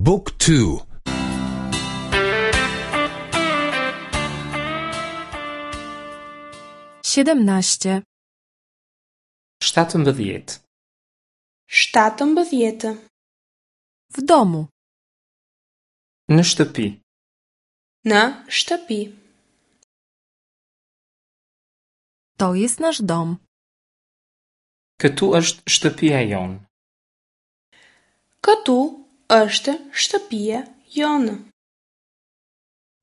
บุ๊กทู 17. 17. 17. W domu. Në shtëpi. Në shtëpi. To jest nasz dom. Këtu është shtëpia jonë. Këtu është shtëpia jonë.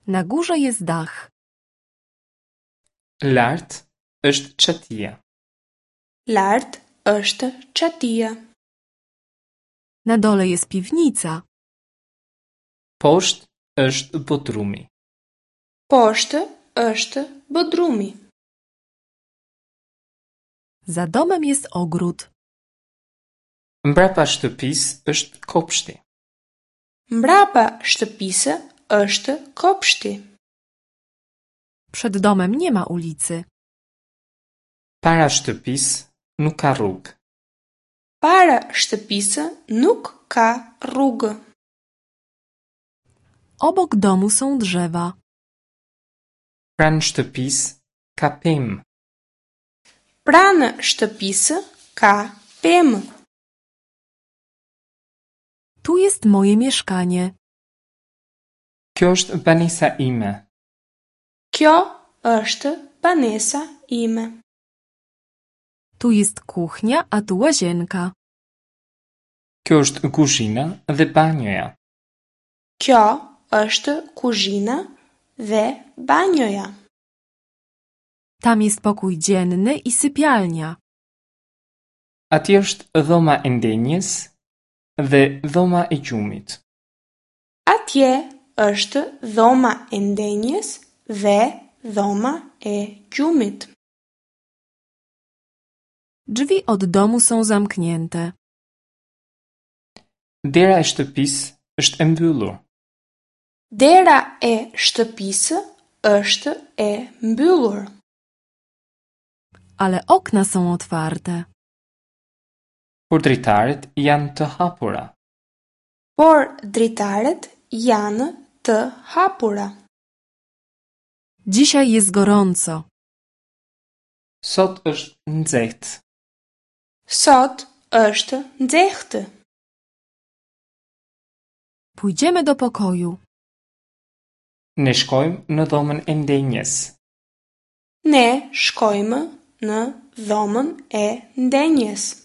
Na górze jest dach. Lart është çatia. Lart është çatia. Na dole jest piwnica. Poshtë është bodrumi. Poshtë është bodrumi. Za domem jest ogród. Mbrapa shtëpisë është kopshti. Mbrapa shtëpisë është kopshti. Przed domem nie ma ulicy. Para shtëpisë nuk ka rrugë. Para shtëpisë nuk ka rrugë. Obok domu są drzewa. Pranë shtëpisë ka pemë. Pranë shtëpisë ka pemë. Tu jest moje mieszkanie. Kjo është banesa ime. Kjo është banesa ime. Tu jest kuchnia, a tu łazienka. Kjo është kuzhina dhe banjoja. Kjo është kuzhina dhe banjoja. Tam jest pokój dzienny i sypialnia. Atje është dhoma e ndenjes dhe dhoma e gjumit. Atje është dhoma e ndenjes dhe dhoma e gjumit. Drzwi od domu są zamknięte. Dera e shtëpisë është e mbyllur. Dera e shtëpisë është e mbyllur. Ale okna są otwarte. Por dritaret janë të hapura. Por dritaret janë të hapura. Dzisiaj jest gorąco. Sot është nxehtë. Sot është nxehtë. Pójdziemy do pokoju. Ne shkojmë në dhomën e ndenjes. Ne shkojmë në dhomën e ndenjes.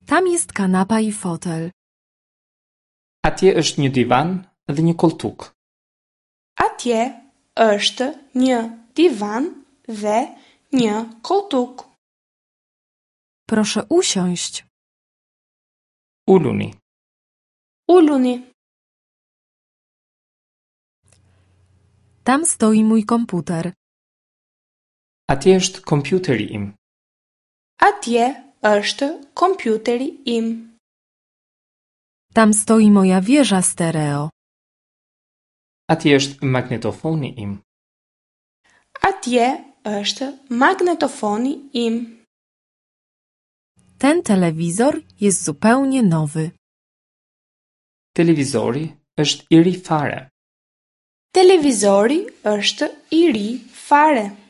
Tam jest kanapa i fotel. Atje është një divan dhe një koltuk. Atje është një divan dhe një koltuk. Proszę usiąść. Uluni. Uluni. Tam stoi mój komputer. Atje është kompjuteri im. Atje është kompjuteri im. Tam stoi moja wieża stereo. Atje është magnetofoni im. Atje është magnetofoni im. Ten telewizor jest zupełnie nowy. Televizori është i ri fare. Televizori është i ri fare.